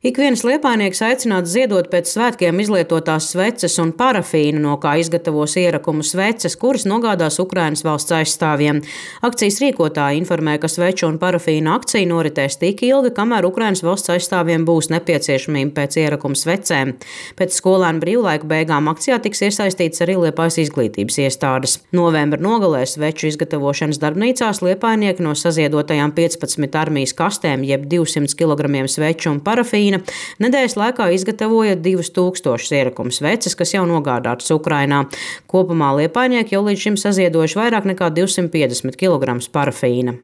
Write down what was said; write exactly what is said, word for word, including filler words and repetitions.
Ik viens liepājnieks aicināts ziedot pēc svētkiem izlietotās sveces un parafīnu, no kā izgatavos ierakumu sveces, kuras nogādās Ukrainas valsts aizstāvjiem. Akcijas rīkotāji informē, ka sveču un parafīnu akcija noritēs tik ilgi, kamēr Ukrainas valsts aizstāvjiem būs nepieciešamība pēc ierakumu svecēm. Pēc skolēnu brīvlaika beigām akcijā tiks iesaistīts arī Liepājas izglītības iestādes. Novembra nogalē sveču izgatavošanas darbnīcās liepājnieki no saziedotajām piecpadsmit armijas kastēm jeb divsimt kilogramiem sveču un parafīnu nedēļas laikā izgatavoja divus tūkstošus ierakumu sveces, kas jau nogādātas Ukrainā. Kopumā liepājnieki jau līdz šim saziedojuši vairāk nekā divsimt piecdesmit kilogramus parafīna.